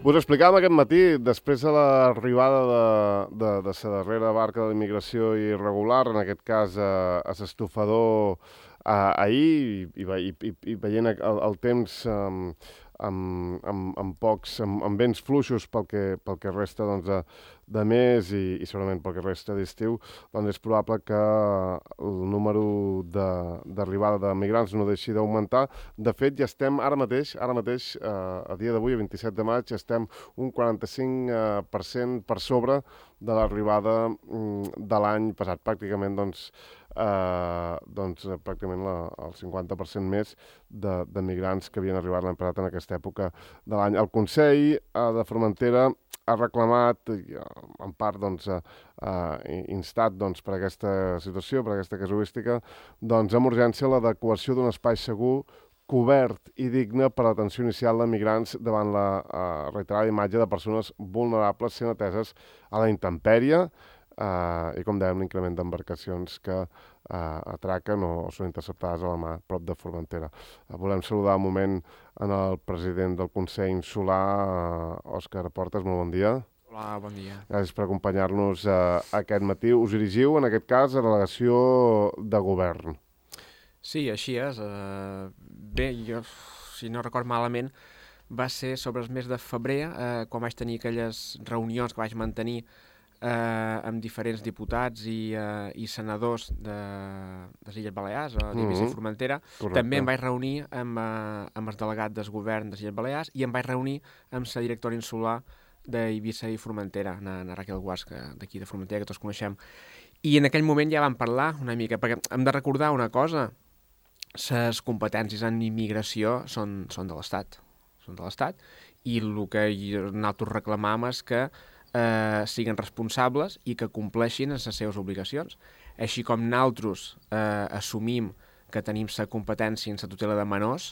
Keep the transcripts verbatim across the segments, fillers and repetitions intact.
Us explicàvem aquest matí, després de l'arribada de, de, de la darrera barca de l'immigració irregular, en aquest cas a, a l'estofador ahir, i, i, i, i veient el, el temps um, amb, amb, amb pocs, amb, amb vents fluixos pel que, pel que resta doncs, de, de mes i, i segurament pel que resta d'estiu, doncs és probable que el número d'arribada de, de migrants no deixi d'augmentar. De fet, ja estem ara mateix, ara mateix, eh, a dia d'avui, a vint-i-set de maig, estem un quaranta-cinc per cent per sobre de l'arribada de l'any passat. Pràcticament, doncs, eh, doncs pràcticament la, el cinquanta per cent més de, de migrants que havien arribat l'any passat en aquesta època de l'any. El Consell eh, de Formentera ha reclamat, en part, doncs, eh, instat doncs, per aquesta situació, per aquesta casuística, doncs, amb urgència l'adequació d'un espai segur, cobert i digne per a l'atenció inicial de migrants davant la eh, reiterada imatge de persones vulnerables sent ateses a la intempèrie eh, i, com dèiem, l'increment d'embarcacions que eh, atraquen o són interceptades a la mar prop de Formentera. Eh, volem saludar un moment en el president del Consell Insular, eh, Òscar Portes. Molt bon dia. Hola, bon dia. Gràcies per acompanyar-nos eh, aquest matí. Us dirigiu, en aquest cas, a la delegació de govern. Sí, així és. Uh, bé, jo, si no record malament, va ser sobre els mesos de febrer, eh, quan vaig tenir aquelles reunions que vaig mantenir eh, amb diferents diputats i, eh, i senadors de, de les Illes Balears, a l'Eivissa mm-hmm. i Formentera. Correcte. També em vaig reunir amb, eh, amb el delegat del govern de les Illes Balears i em vaig reunir amb la directora insular d'Eivissa i Formentera, na, na Raquel Guasc, d'aquí de Formentera, que tots coneixem. I en aquell moment ja vam parlar una mica, perquè hem de recordar una cosa: les competències en immigració són, són de l'Estat. Són de l'Estat i el que nosaltres reclamam és que eh, siguin responsables i que compleixin les seves obligacions. Així com nosaltres eh, assumim que tenim la competència en la tutela de menors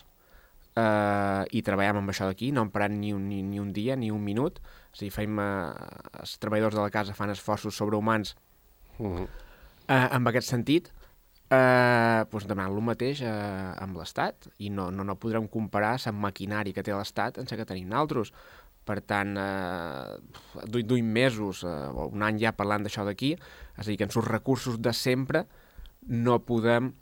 eh, i treballem amb això d'aquí, no emparant ni un, ni, ni un dia, ni un minut. És a dir, fem, eh, els treballadors de la casa fan esforços sobrehumans uh-huh. eh, en aquest sentit. Eh, doncs demanant el mateix eh, amb l'Estat i no, no, no podrem comparar la maquinària que té l'Estat amb la que tenim nosaltres. Per tant, eh, duim mesos eh, o un any ja parlant d'això d'aquí, és a dir, que amb els recursos de sempre no podem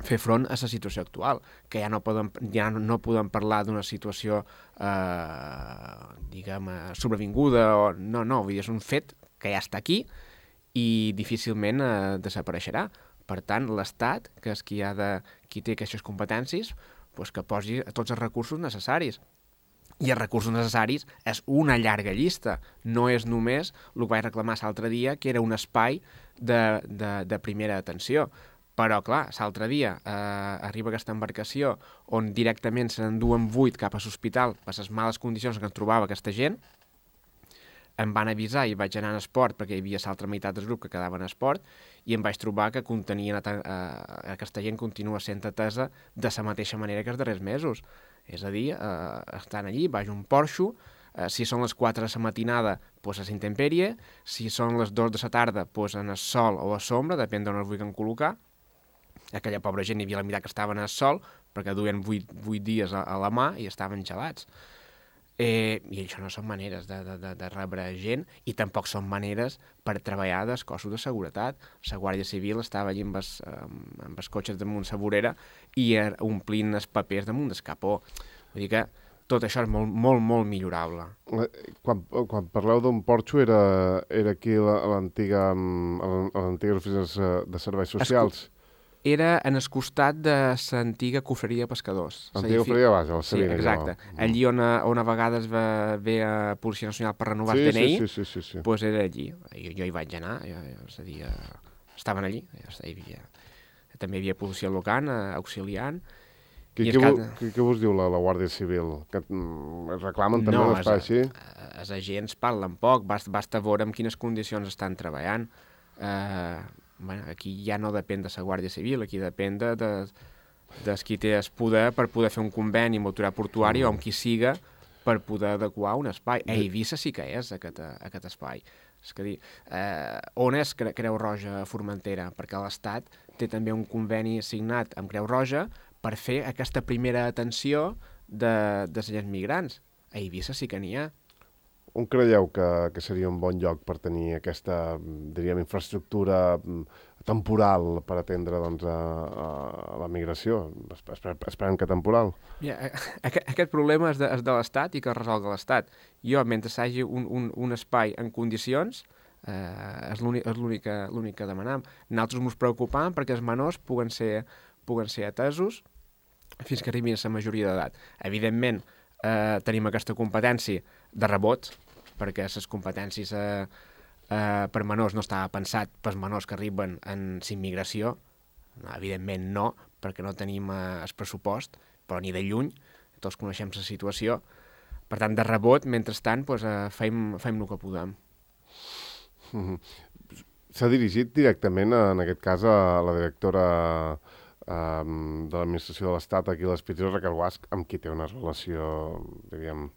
fer front a la situació actual, que ja no podem, ja no podem parlar d'una situació eh, diguem, sobrevinguda o no, no, vull dir, és un fet que ja està aquí i difícilment eh, desapareixerà. Per tant, l'Estat, que és qui, ha de, qui té aquestes competències, doncs que posi tots els recursos necessaris. I els recursos necessaris és una llarga llista. No és només el que vaig reclamar l'altre dia, que era un espai de, de, de primera atenció. Però, clar, l'altre dia eh, arriba aquesta embarcació on directament se n'enduen vuit cap a l'hospital per les males condicions que es trobava aquesta gent. Em van avisar i vaig anar en esport perquè hi havia l'altra meitat del grup que quedava en esport i em vaig trobar que contenien eh, aquesta gent continua sent atesa de la mateixa manera que els darrers mesos. És a dir, eh, estan allí, baix un porxo, eh, si són les quatre de la matinada, doncs a la intempèrie, si són les dues de la tarda, doncs en el sol o a sombra, depèn d'on els vulguin col·locar. Aquella pobra gent hi havia la meitat que estaven al sol perquè duien vuit, vuit dies a, a la mà i estaven gelats. Eh, I això no són maneres de, de, de rebre gent i tampoc són maneres per treballar dels cossos de seguretat. La Guàrdia Civil estava allí amb els, amb els cotxes damunt la vorera i omplint els papers damunt del capó. Vull dir que tot això és molt, molt, molt millorable. Quan, quan parleu d'un porxo era, era aquí a l'antiga a l'antiga oficina de serveis socials? Es... Era en el costat de l'antiga cofreria de pescadors. Antiga cofreria, vaja, la Sabina. Sí, exacte. No. Allí on a, on a vegades va, ve a Policia Nacional per renovar sí, el D N I, sí, sí, sí, sí. doncs era allí. Jo, jo hi vaig anar, jo, és a dir, estaven allí. Hi havia, també hi havia policia local, auxiliant. Què, què, cada... què, què vos diu la, la Guàrdia Civil? Que es reclamen també no, un espai així? Els agents parlen poc, basta, basta veure en quines condicions estan treballant. Eh... Bueno, aquí ja no depèn de la Guàrdia Civil, aquí depèn de, de, de qui té el poder per poder fer un conveni amb l'autoritat portuària mm. o amb qui siga per poder adequar un espai. A Eivissa sí que és aquest, aquest espai. És que dir, eh, on és Creu Roja a Formentera? Perquè l'Estat té també un conveni signat amb Creu Roja per fer aquesta primera atenció de, de les migrants. A Eivissa sí que n'hi ha. On creieu que, que seria un bon lloc per tenir aquesta, diríem, infraestructura temporal per atendre doncs, a, a la migració? Esper, esperem que temporal. Yeah, aquest, aquest problema és de, és de l'Estat i que el resolga l'Estat. Jo, mentre s'hagi un, un, un espai en condicions, eh, és l'únic que demanem. Nosaltres ens preocupam perquè els menors puguen ser, puguen ser atesos fins que arribin a la majoria d'edat. Evidentment, eh, tenim aquesta competència de rebot, perquè les competències eh, eh, per menors no estava pensat pels menors que arriben en immigració. No, evidentment no, perquè no tenim eh, el pressupost, però ni de lluny, tots coneixem la situació. Per tant, de rebot, mentrestant, doncs, eh, fem, fem el que podem. Mm-hmm. S'ha dirigit directament, en aquest cas, a la directora um, de l'administració de l'Estat aquí a l'Hospital Raquel Guasch, amb qui té una relació, diríem,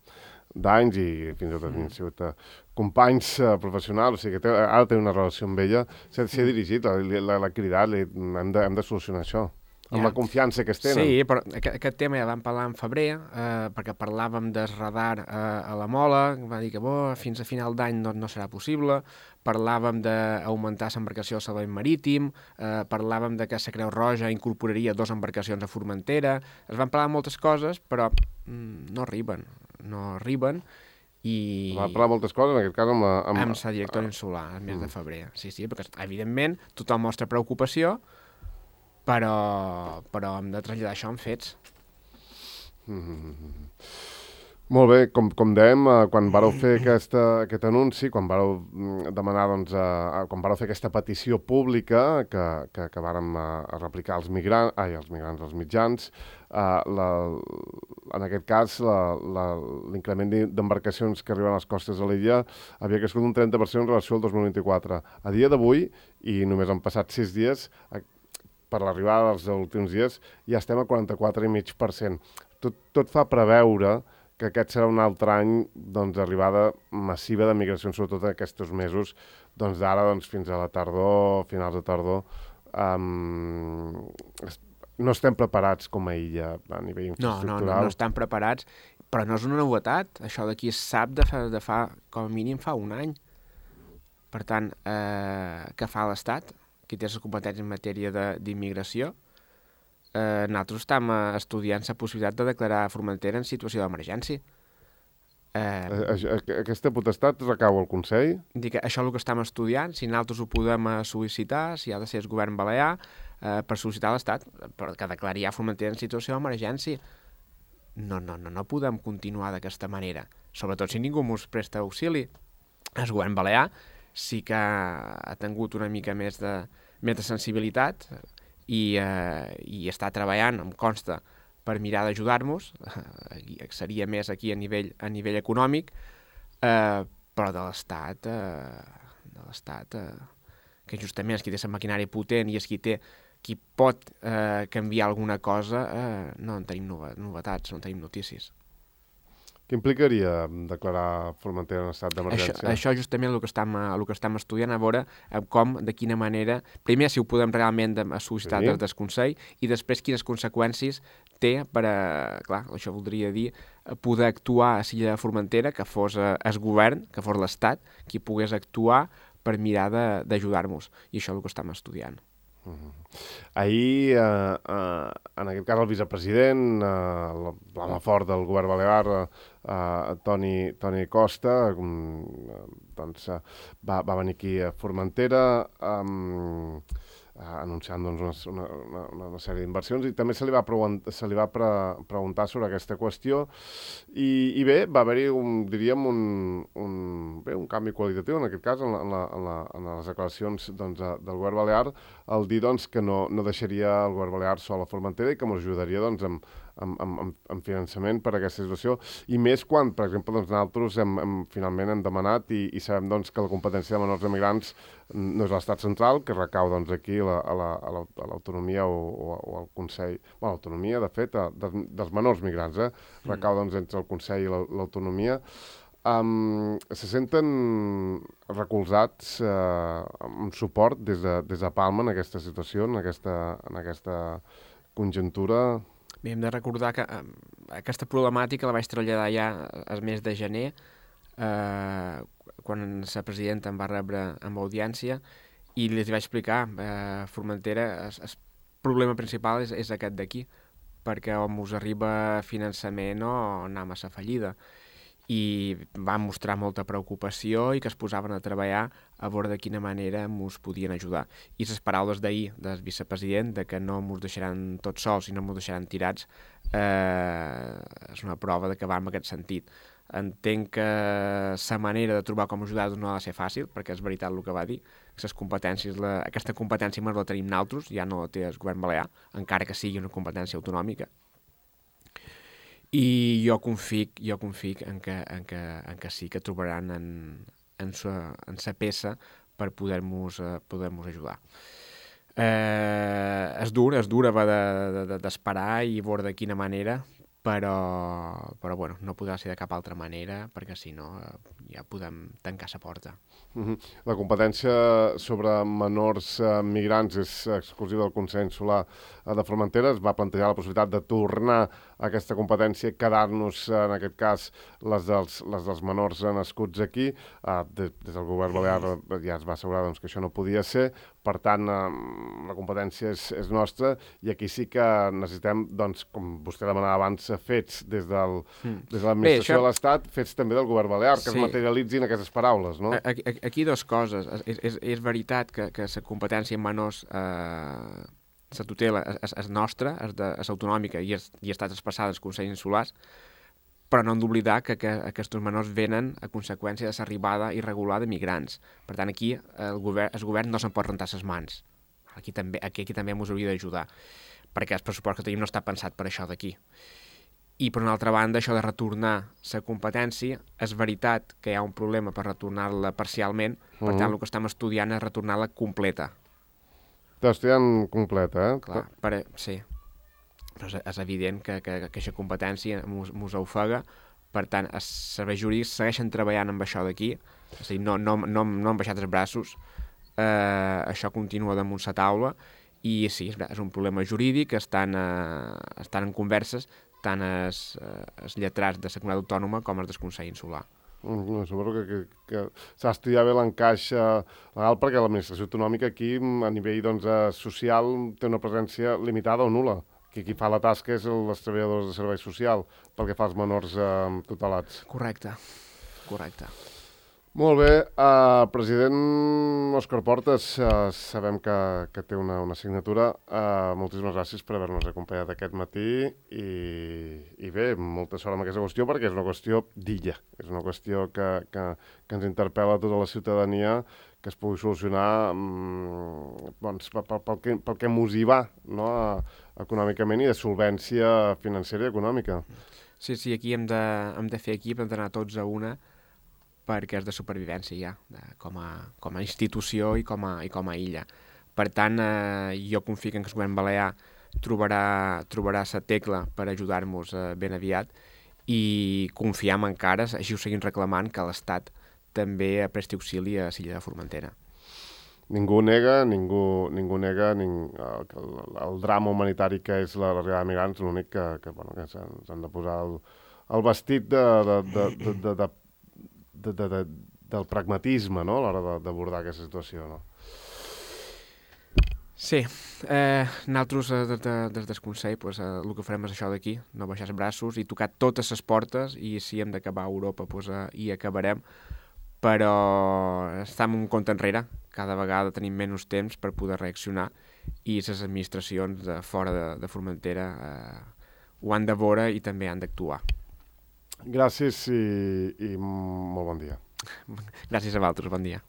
d'anys i fins i tot han sigut uh, companys uh, professionals, o sigui que té, ara té una relació amb ella, s'ha dirigit, l'ha cridat, li, hem, de, hem de solucionar això, amb ja. La confiança que es tenen. Sí, però aquest, aquest tema ja vam parlar en febrer, eh, perquè parlàvem del radar eh, a la Mola, va dir que bo, fins a final d'any no, no serà possible, parlàvem d'augmentar l'embarcació al servei marítim, eh, parlàvem de que la Creu Roja incorporaria dues embarcacions a Formentera, es van parlar moltes coses, però mm, no arriben, no arriben, i... Va parlar moltes coses, en aquest cas amb la... Amb, amb la directora insular, el mes mm. de febrer, sí, sí, perquè evidentment tothom mostra preocupació, però, però hem de traslladar això en fets. Mm-hmm. Molt bé, com, com dèiem, eh, quan vareu fer aquesta, aquest anunci, quan vareu demanar, doncs, eh, quan vareu fer aquesta petició pública que, que, que vàrem eh, replicar als migrants, ai, als migrants, als mitjans, eh, la, en aquest cas l'increment d'embarcacions que arriben a les costes de l'illa havia crescut un trenta per cent en relació al dos mil vint-i-quatre. A dia d'avui, i només han passat sis dies, per l'arribada dels últims dies, ja estem al quaranta-quatre coma cinc per cent. Tot, tot fa preveure que aquest serà un altre any d'arribada doncs, massiva de migracions, sobretot en aquests mesos, doncs d'ara doncs, fins a la tardor, finals de tardor. Um, no estem preparats com a illa a nivell infraestructural. No, no, no, no estem preparats, però no és una novetat. Això d'aquí es sap de fa, de fa, com a mínim fa un any. Per tant, eh, què fa l'Estat? Qui té les competències en matèria d'immigració, eh, nosaltres estem estudiant la possibilitat de declarar Formentera en situació d'emergència. Eh, Aquesta potestat recau al Consell? Dic que això és el que estem estudiant, si nosaltres ho podem sol·licitar, si ha de ser el govern balear, eh, per sol·licitar a l'Estat, que declari ja Formentera en situació d'emergència. No, no, no, no podem continuar d'aquesta manera, sobretot si ningú ens presta auxili. El govern balear sí que ha tingut una mica més de, més de sensibilitat i, eh, i està treballant, em consta, per mirar d'ajudar-nos, eh, seria més aquí a nivell, a nivell econòmic, eh, però de l'Estat, eh, de l'Estat, eh, que justament és qui té la maquinària potent i és qui té, qui pot eh, canviar alguna cosa, eh, no en tenim novetats, no en tenim notícies. Què implicaria declarar Formentera en estat d'emergència? Això, això justament el que, estem, el que estem estudiant, a veure com, de quina manera, primer si ho podem realment sol·licitar sí. des del Consell i després quines conseqüències té per, a, clar, això voldria dir, poder actuar a l'illa de Formentera, que fos el govern, que fos l'Estat, qui pogués actuar per mirar d'ajudar-nos. I això és el que estem estudiant. Uh-huh. Ahir, eh, eh, en aquest cas, el vicepresident, eh, l'home fort del govern balear, eh, Toni, Toni Costa, eh, doncs, eh, va, va venir aquí a Formentera eh, anunciant doncs, una, una, una sèrie d'inversions i també se li va, preguntar, se li va pre preguntar sobre aquesta qüestió i, i bé, va haver-hi, un, diríem, un, un, bé, un canvi qualitatiu, en aquest cas, en, la, en, la, en, la, en les declaracions doncs, del govern balear, el dir doncs, que no, no deixaria el govern balear sol a Formentera i que ens ajudaria doncs, amb, amb, amb, amb finançament per a aquesta situació. I més quan, per exemple, doncs, nosaltres hem, hem, finalment hem demanat i, i sabem doncs, que la competència de menors emigrants no és l'estat central, que recau doncs, aquí a l'autonomia o, o, o al Consell. Bueno, l'autonomia, de fet, de, dels menors migrants, eh? Recau doncs, entre el Consell i l'autonomia. Um, se senten recolzats uh, amb suport des de, des de Palma en aquesta situació, en aquesta, en aquesta conjuntura? Bé, hem de recordar que eh, aquesta problemàtica la vaig traslladar ja el mes de gener eh, quan la presidenta em va rebre amb audiència i li vaig explicar, eh, Formentera, el, el problema principal és, és aquest d'aquí, perquè on us arriba finançament o anar massa fallida. I van mostrar molta preocupació i que es posaven a treballar a veure de quina manera ens podien ajudar. I les paraules d'ahir del vicepresident de que no ens deixaran tots sols i no ens deixaran tirats eh, és una prova de que va en aquest sentit. Entenc que la manera de trobar com ajudar no ha de ser fàcil, perquè és veritat el que va dir. Les competències, la, aquesta competència més la tenim nosaltres, ja no la té el govern balear, encara que sigui una competència autonòmica. I jo confic, jo confic en, que, en, que, en que sí que trobaran en, en, sa, en sa peça per poder-nos eh, poder-nos ajudar. Eh, és dur, és dur haver d'esperar de, de, i veure de quina manera, però, però bueno, no podrà ser de cap altra manera, perquè si no eh, ja podem tancar la porta. Uh-huh. La competència sobre menors eh, migrants és exclusiva del Consell Insular de Formentera. Es va plantejar la possibilitat de tornar a aquesta competència, quedar-nos, en aquest cas, les dels, les dels menors nascuts aquí. Eh, des, des del govern balear ja es va assegurar doncs, que això no podia ser. Per tant, eh, la competència és, és nostra i aquí sí que necessitem, doncs, com vostè demanava abans, fets des, del, mm. des de l'administració això... de l'Estat, fets també del govern balear, que sí. es materialitzin aquestes paraules, no? Aquí, aquí dues coses. És, és, és veritat que, que la competència en menors, eh, la tutela és, és nostra, és, de, és autonòmica i, és, i ha estat expressada als Consells Insulars, però no hem d'oblidar que, que aquests menors venen a conseqüència de l'arribada irregular de migrants. Per tant, aquí el govern, el govern no se'n pot rentar les mans. Aquí també, aquí, aquí també ens hauria d'ajudar, perquè el pressupost que tenim no està pensat per això d'aquí. I, per una altra banda, això de retornar la competència, és veritat que hi ha un problema per retornar-la parcialment, per uh-huh. tant, el que estem estudiant és retornar-la completa. Estàs estudiant completa, eh? Clar, per, sí. Però és, és evident que, que, que aquesta competència ens ofega, per tant, els serveis jurídics segueixen treballant amb això d'aquí, és a dir, no, no, no, no han baixat els braços, eh, això continua damunt la taula, i sí, és, és un problema jurídic, estan, eh, estan en converses, tant els, els lletrats de la comunitat autònoma com els del Consell Insular. Mm, suposo que, que, que s'ha d'estudiar bé l'encaix legal perquè l'administració autonòmica aquí a nivell doncs, social té una presència limitada o nul·la. Que qui fa la tasca és els treballadors de servei social pel que fa als menors eh, tutelats. Correcte, correcte. Molt bé, uh, president Òscar Portas, uh, sabem que, que té una, una assignatura. Uh, moltíssimes gràcies per haver-nos acompanyat aquest matí i, i bé, molta sort amb aquesta qüestió perquè és una qüestió d'illa, és una qüestió que, que, que ens interpel·la a tota la ciutadania, que es pugui solucionar um, doncs, pel, pel, que, pel que mos hi va, no? Econòmicament i de solvència financera i econòmica. Sí, sí, aquí hem de, hem de fer equip, hem d'anar tots a una, perquè és de supervivència ja, de, com, a, com a institució i com a, i com a illa. Per tant, eh, jo confio que el govern balear trobarà, trobarà la tecla per ajudar-nos eh, ben aviat i confiam encara, així ho seguim reclamant, que l'Estat també presti auxili a l'illa de Formentera. Ningú nega, ningú, ningú nega ning, el, el, el drama humanitari que és l'arribada de migrants, l'únic que, que, bueno, que s'han de posar el, el vestit de, de, de, de, de, de De, de, de, del pragmatisme, no?, a l'hora d'abordar aquesta situació, no? Sí. Eh, nosaltres, eh, des de, des del Consell, pues, eh, el que farem és això d'aquí, no baixar els braços i tocar totes les portes, i si hem d'acabar a Europa, pues, eh, hi acabarem, però estem un compte enrere. Cada vegada tenim menys temps per poder reaccionar i les administracions de fora de, de Formentera eh, ho han de veure i també han d'actuar. Gràcies i, i molt bon dia. Gràcies a vosaltres, bon dia.